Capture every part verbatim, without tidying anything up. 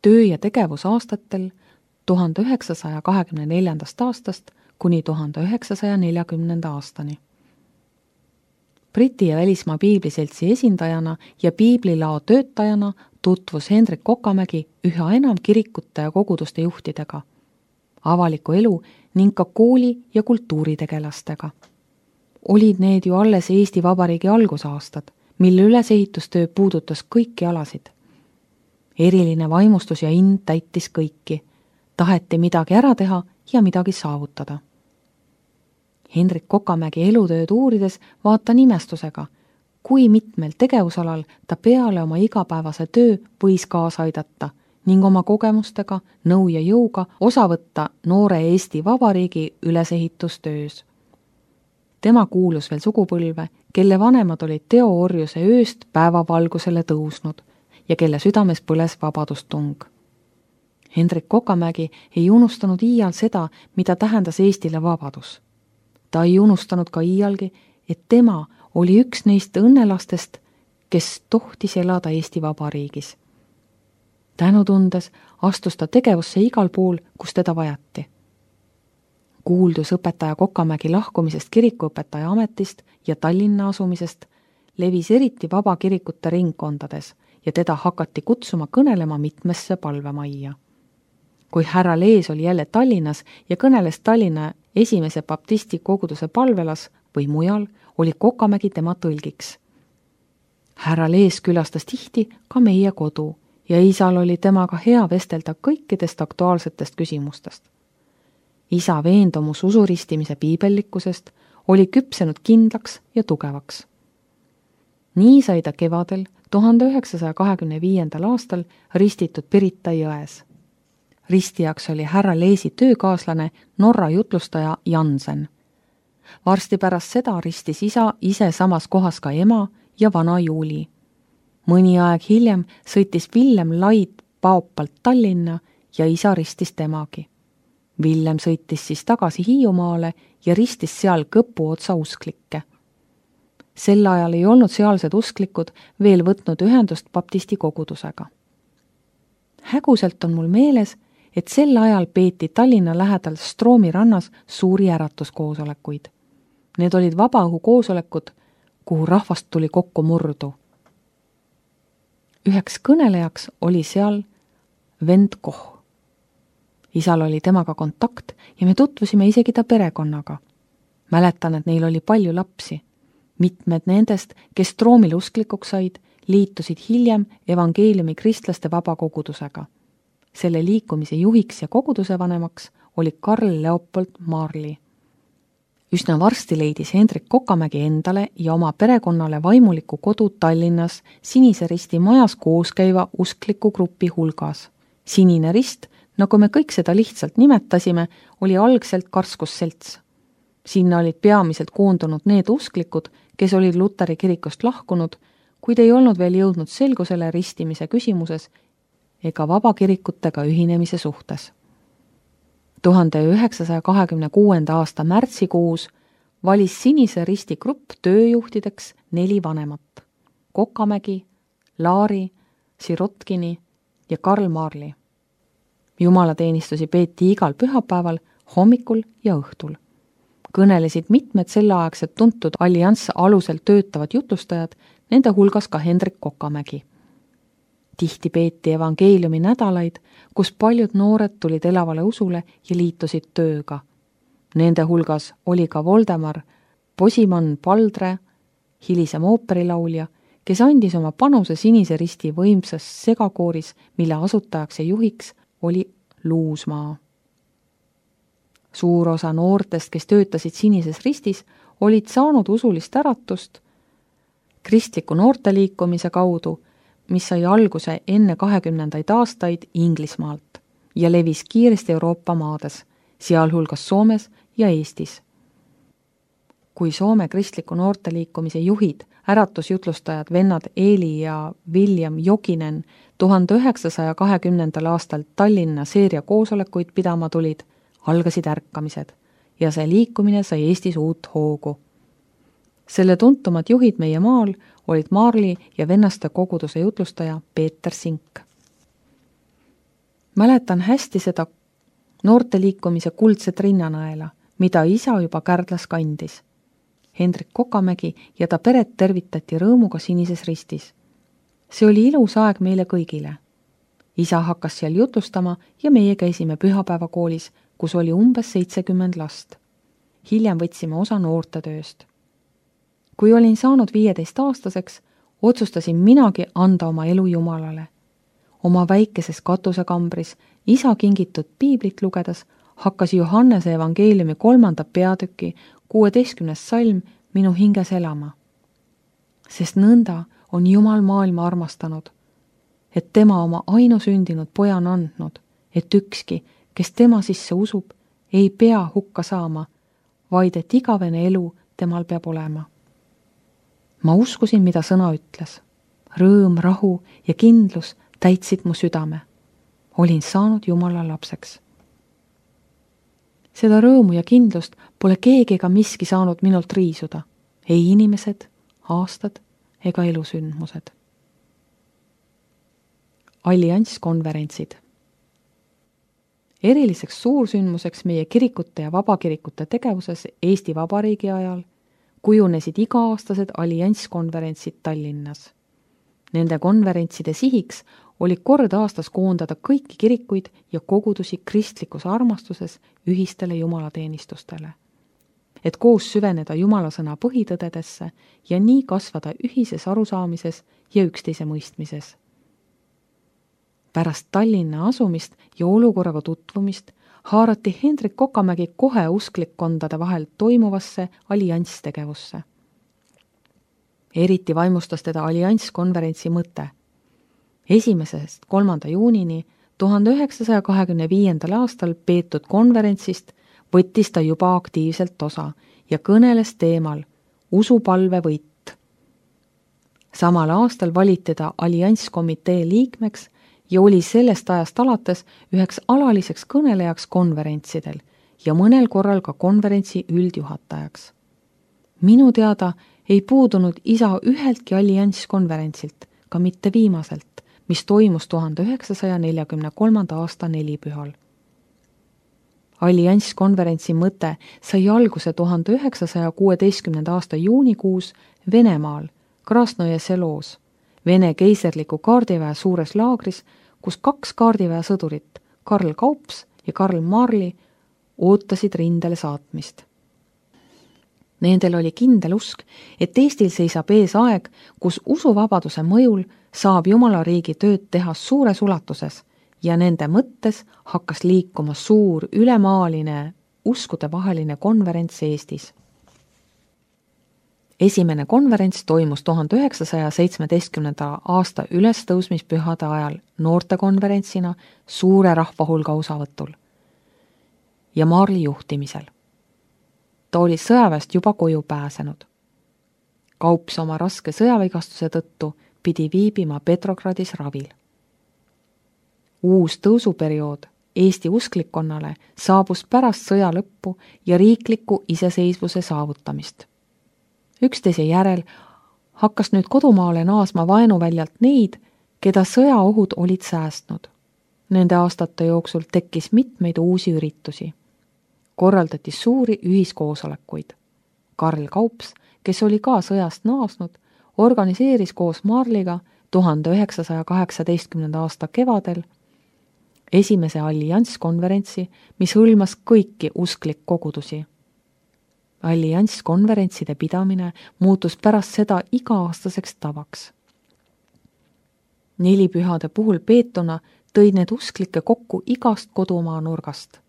töö- ja tegevusaastatel tuhande üheksasaja kahekümne neljandast aastast kuni tuhande üheksasaja neljakümnenda aastani. Briti ja välismaa piibliseltsi esindajana ja piiblilao töötajana tutvus Hendrik Kokamägi üha enam kirikute ja koguduste juhtidega, avaliku elu ning ka kooli- ja kultuuritegelastega. Olid need ju alles Eesti Vabariigi algusaastad, mille ülesehitustöö puudutas kõiki alasid. Eriline vaimustus ja ind täitis kõiki. Taheti midagi ära teha ja midagi saavutada. Hendrik Kokamägi elutööd uurides vaata nimestusega, kui mitmel tegevusalal ta peale oma igapäevase töö võis kaasa aidata ning oma kogemustega, nõu ja jõuga osa võtta noore Eesti Vabariigi ülesehitustöös. Tema kuulus veel sugupõlve, kelle vanemad olid teoorjuse ööst päevavalgusele tõusnud ja kelle südames põles vabadustung. Hendrik Kokamägi ei unustanud iial seda, mida tähendas Eestile vabadus. Ta ei unustanud ka iialgi, et tema oli üks neist õnnelastest, kes tohtis elada Eesti Vabariigis. Tänutundes astus ta tegevusse igal pool, kus teda vajati. Kuuldus õpetaja Kokamägi lahkumisest kirikuõpetaja ametist ja Tallinna asumisest levis eriti vabakirikute ringkondades ja teda hakati kutsuma kõnelema mitmesse palvemajja. Kui härra Lees oli jälle Tallinnas ja kõneles Tallinna esimese baptisti koguduse palvelas või mujal, oli Kokamägi tema tõlgiks. Härra Lees külastas tihti ka meie kodu ja isal oli temaga hea vestelda kõikidest aktuaalsetest küsimustest. Isa veendumus usuristimise piibellikkusest oli küpsenud kindlaks ja tugevaks. Nii sai ta kevadel tuhande üheksasaja kahekümne viiendal aastal ristitud Pirita jões. Ristijaks oli härra Leesi töökaaslane Norra jutlustaja Jansen. Varsti pärast seda ristis isa ise samas kohas ka ema ja vana Juuli. Mõni aeg hiljem sõitis Villem Laid Paopalt Tallinna ja isa ristis temagi. Villem sõitis siis tagasi Hiiumaale ja ristis seal Kõpu otsa usklikke. Sel ajal ei olnud sealsed usklikud veel võtnud ühendust baptisti kogudusega. Häguselt on mul meeles, et sel ajal peeti Tallinna lähedal Stroomi rannas suuri äratuskoosolekuid. Need olid vabaõhu koosolekud, kuhu rahvast tuli kokku murdu. Üheks kõnelejaks oli seal vend Koh. Isal oli temaga kontakt ja me tutvusime isegi ta perekonnaga. Mäletan, et neil oli palju lapsi. Mitmed nendest, kes Stroomil usklikuks said, liitusid hiljem evangeeliumi kristlaste vabakogudusega. Selle liikumise juhiks ja koguduse vanemaks oli Karl Leopold Marli. Üsna varsti leidis Hendrik Kokamägi endale ja oma perekonnale vaimuliku kodu Tallinnas Sinise Risti majas koos käiva uskliku grupi hulgas. Sinine Rist, nagu me kõik seda lihtsalt nimetasime, oli algselt karskusselts. Sinna olid peamiselt koondunud need usklikud, kes olid Luteri kirikust lahkunud, kuid ei olnud veel jõudnud selgusele ristimise küsimuses ega vabakirikutega ühinemise suhtes. tuhande üheksasaja kahekümne kuuenda aasta märtsikuus valis Sinise Risti grupp tööjuhtideks neli vanemat: Kokamägi, Laari, Sirotkini ja Karl Marli. Jumalateenistusi peeti igal pühapäeval, hommikul ja õhtul. Kõnelesid mitmed selleaegsed tuntud allianss alusel töötavad jutlustajad, nende hulgas ka Hendrik Kokamägi. Tihti peeti evangeeliumi nädalaid, kus paljud noored tulid elavale usule ja liitusid tööga. Nende hulgas oli ka Voldemar Posimann Paldre, hilisem ooperilaulja, kes andis oma panuse Sinise Risti võimsas segakooris, mille asutajaks ja juhiks oli Luusmaa. Suur osa noortest, kes töötasid Sinises Ristis, olid saanud usulist äratust kristliku noorteliikumise kaudu, mis sai alguse enne kahekümnendaid aastaid Inglismaalt ja levis kiiresti Euroopa maades, sealhulgas Soomes ja Eestis. Kui Soome kristliku noorteliikumise juhid, äratusjutlustajad vennad Eeli ja William Jokinen tuhande üheksasaja kahekümnendal aastal Tallinna seeria koosolekuid pidama tulid, algasid ärkamised ja see liikumine sai Eestis uut hoogu. Selle tuntumad juhid meie maal olid Marli ja vennaste koguduse jutlustaja Peeter Sink. Mäletan hästi seda noorteliikumise kuldset rinnanaela, mida isa juba Kärdlas kandis. Hendrik Kokamägi ja ta peret tervitati rõõmuga Sinises Ristis. See oli ilus aeg meile kõigile. Isa hakkas seal jutlustama ja meie käisime pühapäevakoolis, kus oli umbes seitsekümmend last. Hiljem võtsime osa noortetööst. Kui olin saanud viieteist aastaseks, otsustasin minagi anda oma elu Jumalale. Oma väikeses katusekambris isa kingitud piiblit lugedes hakkas Johannese evangeeliumi kolmanda peatüki kuueteistkümnes salm minu hinges elama. Sest nõnda on Jumal maailma armastanud, et tema oma ainusündinud poja on andnud, et ükski, kes tema sisse usub, ei pea hukka saama, vaid et igavene elu temal peab olema. Ma uskusin, mida sõna ütles. Rõõm, rahu ja kindlus täitsid mu südame. Olin saanud Jumala lapseks. Seda rõõmu ja kindlust pole keegi ega miski saanud minult riisuda. Ei inimesed, aastad ega elusündmused. Allianskonverentsid. Eriliseks suursündmuseks meie kirikute ja vabakirikute tegevuses Eesti Vabariigi ajal kujunesid iga-aastased allianskonverentsid Tallinnas. Nende konverentside sihiks oli kord aastas koondada kõiki kirikuid ja kogudusi kristlikus armastuses ühistele jumalateenistustele, et koos süveneda Jumala sõna põhitõdedesse ja nii kasvada ühises arusaamises ja üksteise mõistmises. Pärast Tallinna asumist ja olukorraga tutvumist haarati Hendrik Kokamägi kohe usklikkondade vahel toimuvasse allianstegevusse. Eriti vaimustas teda allianskonverentsi mõte. Esimesest kolmanda juunini tuhande üheksasaja kahekümne viiendal aastal peetud konverentsist võttis ta juba aktiivselt osa ja kõneles teemal usupalve võit. Samal aastal valiti ta allianskomitee liikmeks ja oli sellest ajast alates üheks alaliseks kõnelejaks konverentsidel ja mõnel korral ka konverentsi üldjuhatajaks. Minu teada ei puudunud isa üheltki allianskonverentsilt, ka mitte viimaselt, mis toimus tuhande üheksasaja neljakümne kolmanda aasta nelipühal. Allianskonverentsi mõte sai alguse tuhande üheksasaja kuueteistkümnenda aasta juunikuus Venemaal, Krasnoje seloos, Vene keiserliku kaardiväe suures laagris, kus kaks kaardiväe sõdurit, Karl Kaups ja Karl Marli, ootasid rindele saatmist. Nendel oli kindel usk, et Eestil seisab ees aeg, kus usuvabaduse mõjul saab Jumala riigi tööd teha suures ulatuses ja nende mõttes hakkas liikuma suur ülemaaline uskudevaheline konverents Eestis. Esimene konverents toimus tuhande üheksasaja seitsmeteistkümnenda aasta ülestõusmispühade ajal noortekonverentsina suure rahvahulga osavõtul ja Marli juhtimisel. Ta oli sõjaväest juba koju pääsenud. Kaups oma raske sõjavigastuse tõttu pidi viibima Petrogradis ravil. Uus tõusuperiood Eesti usklikkonnale saabus pärast sõja lõppu ja riikliku iseseisvuse saavutamist. Üksteise järel hakkas nüüd kodumaale naasma vaenuväljalt neid, keda sõjaohud olid säästnud. Nende aastate jooksul tekkis mitmeid uusi üritusi. Korraldati suuri ühiskoosolekuid. Karl Kaups, kes oli ka sõjast naasnud, organiseeris koos Marliga tuhande üheksasaja kaheksateistkümnenda aasta kevadel esimese allianskonverentsi, mis hõlmas kõiki usklikkogudusi. Allianskonverentside pidamine muutus pärast seda iga-aastaseks tavaks. Nelipühade puhul peetuna tõid need usklikke kokku igast kodumaa nurgast.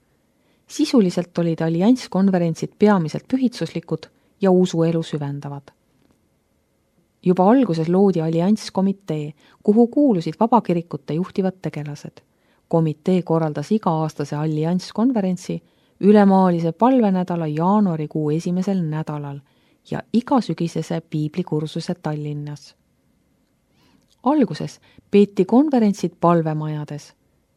Sisuliselt olid allianskonverentsid peamiselt pühitsuslikud ja usuelu süvendavad. Juba alguses loodi allianskomitee, kuhu kuulusid vabakirikute juhtivad tegelased. Komitee korraldas iga-aastase allianskonverentsi ülemaalise palvenädala jaanuarikuu esimesel nädalal ja igasügisese piiblikursuse Tallinnas. Alguses peeti konverentsid palvemajades,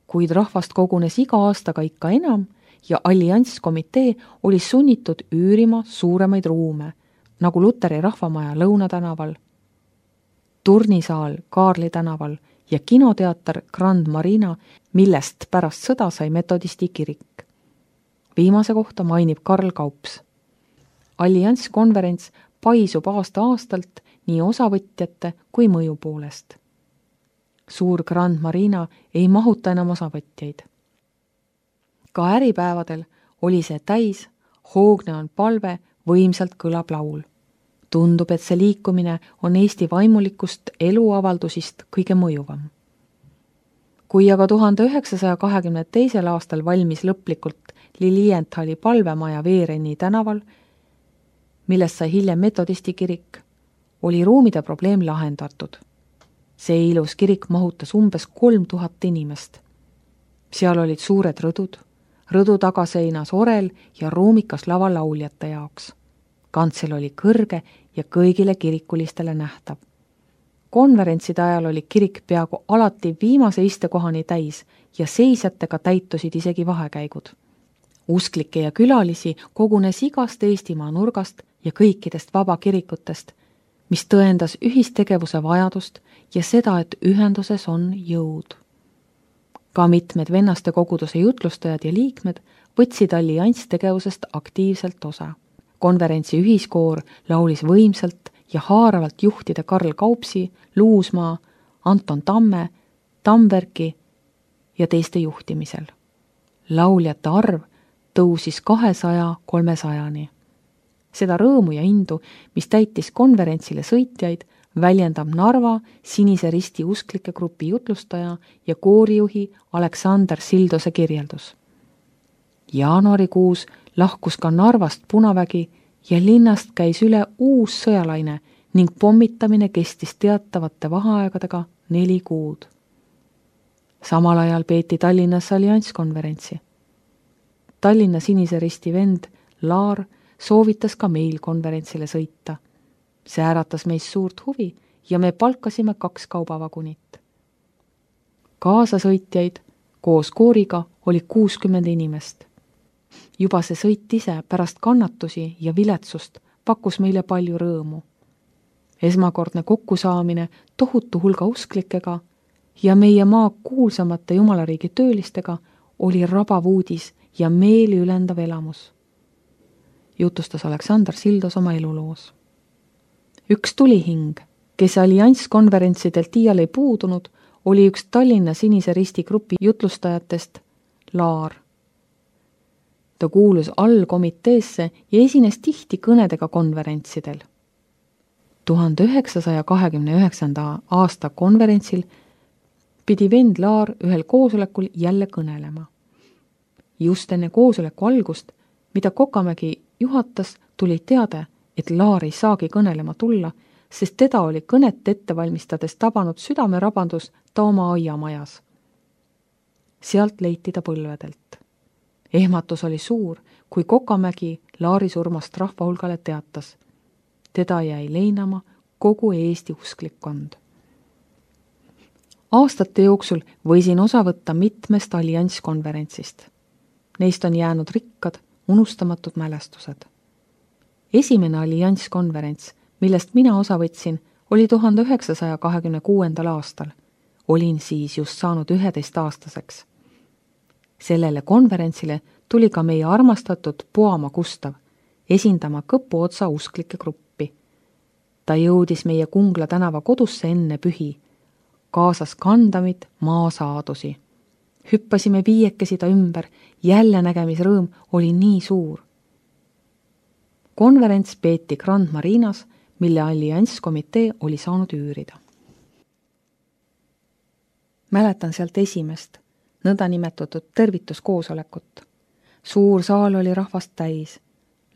kuid rahvast kogunes iga aastaga ikka enam ja allianskomitee oli sunnitud üürima suuremaid ruume, nagu Luteri rahvamaja Lõunatänaval, turnisaal Kaarli tänaval ja kinoteater Grand Marina, millest pärast sõda sai metodisti kirik. Viimase kohta mainib Karl Kaups. Allianskonverents paisub aasta-aastalt nii osavõtjate kui mõju poolest. Suur Grand Marina ei mahuta enam osavõtjaid. Ka äripäevadel oli see täis, hoogne on palve, võimsalt kõlab laul. Tundub, et see liikumine on Eesti vaimulikust eluavaldusist kõige mõjuvam. Kui aga tuhande üheksasaja kahekümne teisel aastal valmis lõplikult Lilienthali palvemaja Veereni tänaval, millest sai hiljem metodisti kirik, oli ruumide probleem lahendatud. See ilus kirik mahutas umbes kolm tuhat inimest. Seal olid suured rõdud, rõdu tagaseinas orel ja ruumikas lava lauljate jaoks. Kantsel oli kõrge ja kõigile kirikulistele nähtav. Konverentside ajal oli kirik peaaegu alati viimase istekohani täis ja seisjatega täitusid isegi vahekäigud. Usklikke ja külalisi kogunes igast Eestimaa nurgast ja kõikidest vabakirikutest, mis tõendas ühistegevuse vajadust ja seda, et ühenduses on jõud. Ka mitmed vennaste koguduse jutlustajad ja liikmed võtsid allianstegevusest aktiivselt osa. Konverentsi ühiskoor laulis võimsalt ja haaravalt juhtide Karl Kaupsi, Luusmaa, Anton Tamme, Tamverki ja teiste juhtimisel. Lauljate arv tõusis kahesaja kolmesajani. Seda rõõmu ja indu, mis täitis konverentsile sõitjaid, väljendab Narva Sinise Risti usklike grupi jutlustaja ja koorijuhi Aleksander Sildose kirjeldus. Jaanuarikuus lahkus ka Narvast Punavägi ja linnast käis üle uus sõjalaine ning pommitamine kestis teatavate vaheaegadega neli kuud. Samal ajal peeti Tallinnas allianskonverentsi. Tallinna Sinise Risti vend Laar soovitas ka meil konverentsile sõita. See äratas meist suurt huvi ja me palkasime kaks kaubavagunit. Kaasasõitjaid koos kooriga oli kuuskümmend inimest. Juba see sõit ise pärast kannatusi ja viletsust pakkus meile palju rõõmu. Esmakordne kokkusaamine tohutu hulga usklikega ja meie maa kuulsamate jumalariigi töölistega oli rabav uudis ja meeli ülendav elamus. Jutustas Aleksander Sildos oma eluloos. Üks tulihing, kes allianskonverentsidelt iial ei puudunud, oli üks Tallinna Sinise Risti grupi jutlustajatest Laar. Ta kuulus allkomiteesse ja esines tihti kõnedega konverentsidel. tuhande üheksasaja kahekümne üheksanda aasta konverentsil pidi vend Laar ühel koosolekul jälle kõnelema. Just enne koosoleku algust, mida Kokamägi juhatas, tuli teade, et Laar ei saagi kõnelema tulla, sest teda oli kõnet ette valmistades tabanud südamerabandus ta oma aiamajas. Sealt leiti ta põlvedelt. Ehmatus oli suur, kui Kokamägi Laari surmast rahvahulgale teatas. Teda jäi leinama kogu Eesti usklikkond. Aastate jooksul võisin osa võtta mitmest allianskonverentsist. Neist on jäänud rikkad, unustamatud mälestused. Esimene allianskonverents, millest mina osa võtsin, oli tuhande üheksasaja kahekümne kuuendal aastal. Olin siis just saanud üheteist-aastaseks. Sellele konverentsile tuli ka meie armastatud Puama Gustav, esindama Kõpu otsa usklike gruppi. Ta jõudis meie Kungla tänava kodusse enne pühi, kaasas kandamit maasaadusi. Hüppasime viiekesi ta ümber, jälle nägemisrõõm oli nii suur. Konverents peeti Grand Marinas, mille allianskomitee oli saanud üürida. Mäletan sealt esimest, nõndanimetatud tervituskoosolekut. Suur saal oli rahvast täis.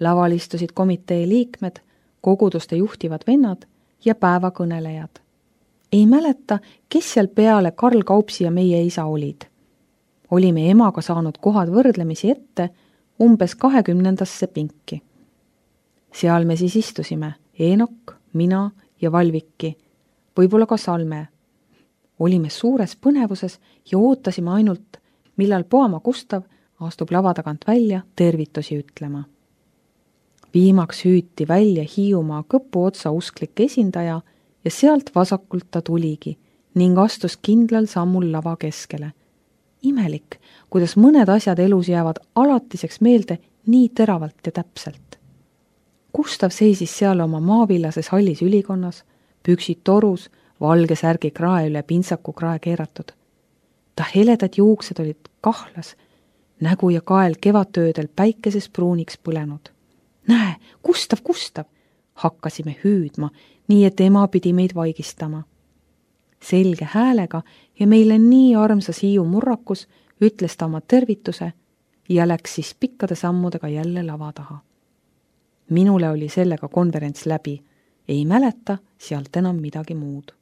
Laval istusid komitee liikmed, koguduste juhtivad vennad ja päevakõnelejad. Ei mäleta, kes seal peale Karl Kaupsi ja meie isa olid. Olime emaga saanud kohad võrdlemisi ette umbes kahekümnendasse pinki. Seal me siis istusime, Eenok, mina ja Valviki, võib-olla ka Salme. Olime suures põnevuses ja ootasime ainult, millal Puama Gustav astub lava tagant välja tervitusi ütlema. Viimaks hüüti välja Hiiumaa Kõpu otsa usklik esindaja ja sealt vasakult ta tuligi ning astus kindlal sammul lava keskele. Imelik, kuidas mõned asjad elus jäävad alatiseks meelde nii teravalt ja täpselt. Gustav seisis seal oma maavillases hallis ülikonnas, püksid torus, valge särgi krae üle pintsaku krae keeratud. Ta heledad juuksed olid kahlas, nägu ja kael kevadtöödel päikeses pruuniks põlenud. Näe, Gustav, Gustav! Hakkasime hüüdma, nii et ema pidi meid vaigistama. Selge häälega ja meile nii armsas Hiiu murrakus ütles ta oma tervituse ja läks siis pikkade sammudega jälle lava taha. Minule oli sellega konverents läbi, ei mäleta sealt enam midagi muud.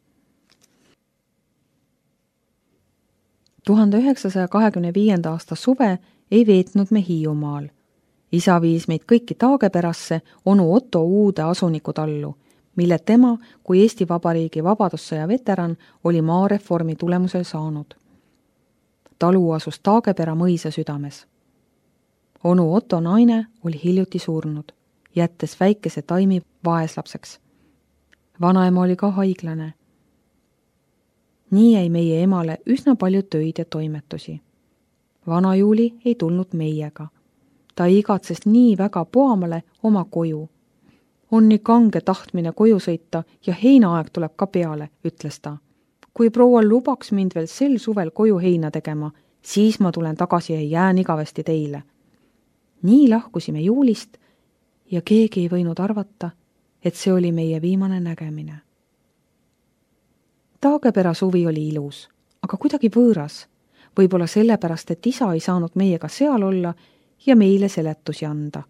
tuhande üheksasaja kahekümne viienda aasta suve ei veetnud me Hiiumaal. Isa viis meid kõiki Taageperasse onu Otto uude asunikutallu, mille tema kui Eesti Vabariigi vabadussõja veteran oli maareformi tulemusel saanud. Talu asus Taagepera mõisa südames. Onu Otto naine oli hiljuti surnud, jättes väikese Taimi vaeslapseks. Vanaema oli ka haiglane. Nii jäi meie emale üsna palju töid ja toimetusi. Vana Juuli ei tulnud meiega. Ta igatses nii väga Puamale oma koju. On nii kange tahtmine koju sõita ja heinaaeg tuleb ka peale, ütles ta. Kui proua lubaks mind veel sel suvel koju heina tegema, siis ma tulen tagasi ja jään igavesti teile. Nii lahkusime Juulist ja keegi ei võinud arvata, et see oli meie viimane nägemine. Taagepera suvi oli ilus, aga kuidagi võõras. Võib-olla sellepärast, et isa ei saanud meiega seal olla ja meile seletusi anda.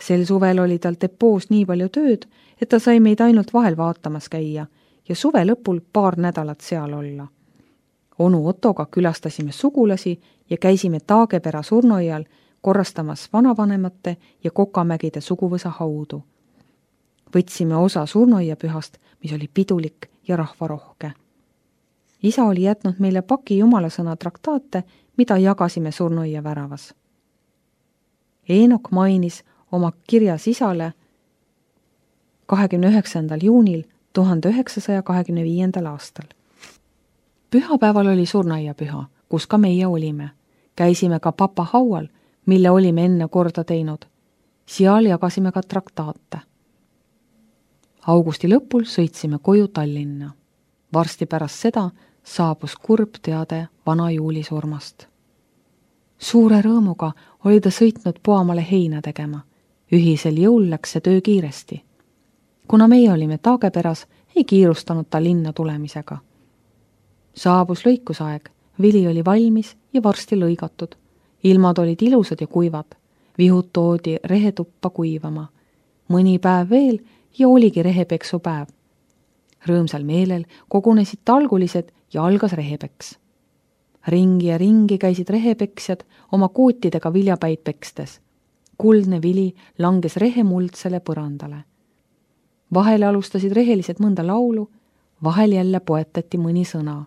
Sel suvel oli tal depoos nii palju tööd, et ta sai meid ainult vahel vaatamas käia ja suve lõpul paar nädalat seal olla. Onu Ottoga külastasime sugulasi ja käisime Taagepera surnuaial korrastamas vanavanemate ja Kokamägide suguvõsa haudu. Võtsime osa surnuaiapühast, mis oli pidulik ja rahvarohke. Isa oli jätnud meile paki jumalasõna traktaate, mida jagasime surnuaia väravas. Eenok mainis oma kirjas isale kahekümne üheksandal juunil tuhande üheksasaja kahekümne viiendal aastal. Pühapäeval oli surnuaiapüha, kus ka meie olime. Käisime ka papa haual, mille olime enne korda teinud. Seal jagasime ka traktaate. Augusti lõpul sõitsime koju Tallinna. Varsti pärast seda saabus kurb teade vana Juuli surmast. Suure rõõmuga oli ta sõitnud Puamale heina tegema. Ühisel jõul läks see töö kiiresti. Kuna meie olime Taageperas, ei kiirustanud ta linna tulemisega. Saabus lõikusaeg, vili oli valmis ja varsti lõigatud. Ilmad olid ilusad ja kuivad. Vihud toodi rehetuppa kuivama. Mõni päev veel ja oligi rehepeksu päev. Rõõmsal meelel kogunesid talgulised ja algas rehepeks. Ringi ja ringi käisid rehepeksjad oma kootidega viljapäid pekstes. Kuldne vili langes rehemuldsele põrandale. Vahel alustasid rehelised mõnda laulu, vahel jälle poetati mõni sõna.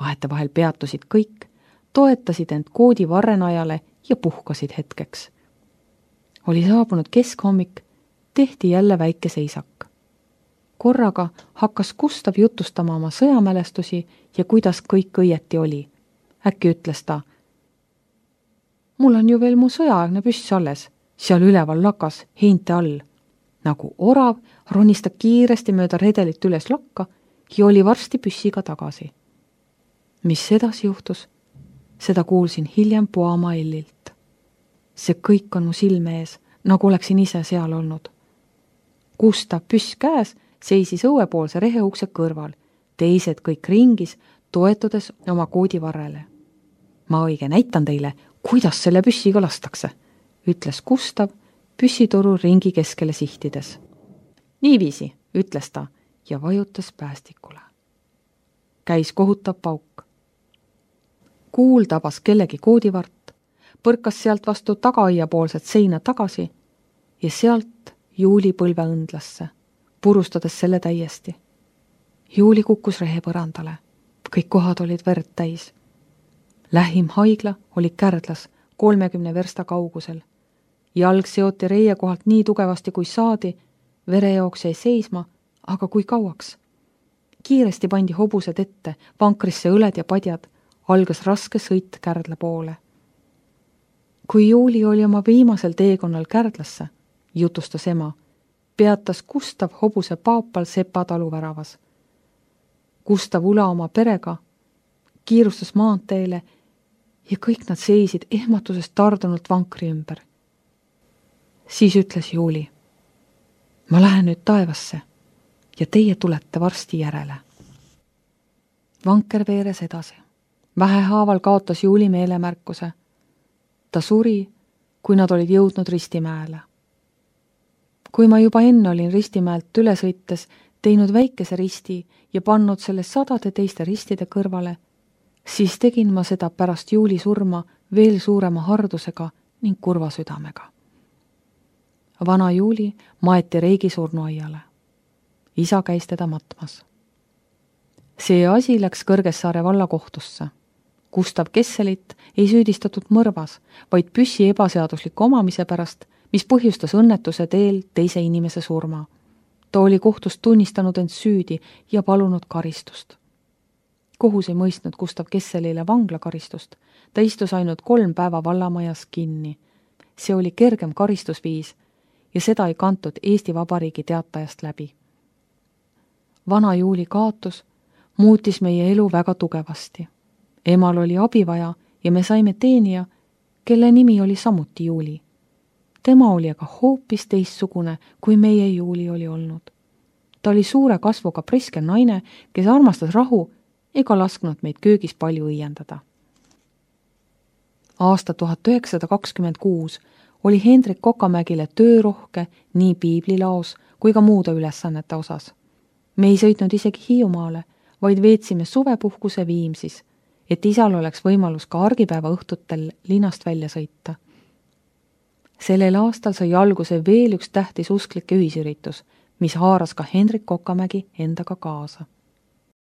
Vahete vahel peatusid kõik, toetasid end koodi varrenajale ja puhkasid hetkeks. Oli saabunud keskhommik, tehti jälle väike seisak. Korraga hakkas Gustav jutustama oma sõjamälestusi ja kuidas kõik õieti oli. Äkki ütles ta, mul on ju veel mu sõjaaegne püss alles, seal üleval lakas, heinte all. Nagu orav ronis ta kiiresti mööda redelit üles lakka ja oli varsti püssiga tagasi. Mis edasi juhtus? Seda kuulsin hiljem Puama Ellilt. See kõik on mu silme ees, nagu oleksin ise seal olnud. Gustav püss käes seisis õuepoolse reheukse kõrval, teised kõik ringis, toetudes oma koodivarrele. Ma õige näitan teile, kuidas selle püssiga lastakse, ütles Gustav püssitoru ringi keskele sihtides. Niiviisi, ütles ta ja vajutas päästikule. Käis kohutav pauk. Kuul tabas kellegi koodivart, põrkas sealt vastu tagaaiapoolset seina tagasi ja sealt Juuli põlve õndlasse, purustades selle täiesti. Juuli kukkus rehepõrandale. Kõik kohad olid verd täis. Lähim haigla oli Kärdlas kolmekümne versta kaugusel. Jalg seoti reie kohalt nii tugevasti kui saadi, verejook jäi seisma, aga kui kauaks. kiiresti pandi hobused ette, vankrisse õled ja padjad, algas raske sõit Kärdla poole. Kui Juuli oli oma viimasel teekonnal Kärdlasse, jutustas ema, peatas Gustav hobuse paapal Sepa taluväravas. Gustav Ula oma perega kiirustas maanteele ja kõik nad seisid ehmatusest tardunult vankri ümber. Siis ütles Juuli, ma lähen nüüd taevasse ja teie tulete varsti järele. Vanker veeres edasi. Vähehaaval kaotas Juuli meelemärkuse. Ta suri, kui nad olid jõudnud Ristimäele. Kui ma juba enne olin Ristimäelt üle sõites teinud väikese risti ja pannud selle sadade teiste ristide kõrvale, siis tegin ma seda pärast Juuli surma veel suurema hardusega ning kurva südamega. Vana Juuli maeti Reigi surnuaiale. Isa käis teda matmas. See asi läks Kõrgessaare vallakohtusse. Gustav Kesselit ei süüdistatud mõrvas, vaid püssi ebaseadusliku omamise pärast, mis põhjustas õnnetuse teel teise inimese surma. Ta oli kohtust tunnistanud end süüdi ja palunud karistust. Kohus ei mõistnud Gustav Kesselile vanglakaristust. Ta istus ainult kolm päeva vallamajas kinni. See oli kergem karistusviis ja seda ei kantud Eesti Vabariigi teatajast läbi. Vana Juuli kaotus muutis meie elu väga tugevasti. Emal oli abivaja ja me saime teenija, kelle nimi oli samuti Juuli. Tema oli aga hoopis teistsugune, kui meie Juuli oli olnud. Ta oli suure kasvuga priske naine, kes armastas rahu ega lasknud meid köögis palju õiendada. Aasta tuhat üheksasada kakskümmend kuus oli Hendrik Kokamägile töörohke nii piiblilaos kui ka muude ülesannete osas. Me ei sõitnud isegi Hiiumaale, vaid veetsime suvepuhkuse Viimsis, et isal oleks võimalus ka argipäeva õhtutel linnast välja sõita. Sellel aastal sai alguse veel üks tähtis usklike ühisüritus, mis haaras ka Hendrik Kokamägi endaga kaasa.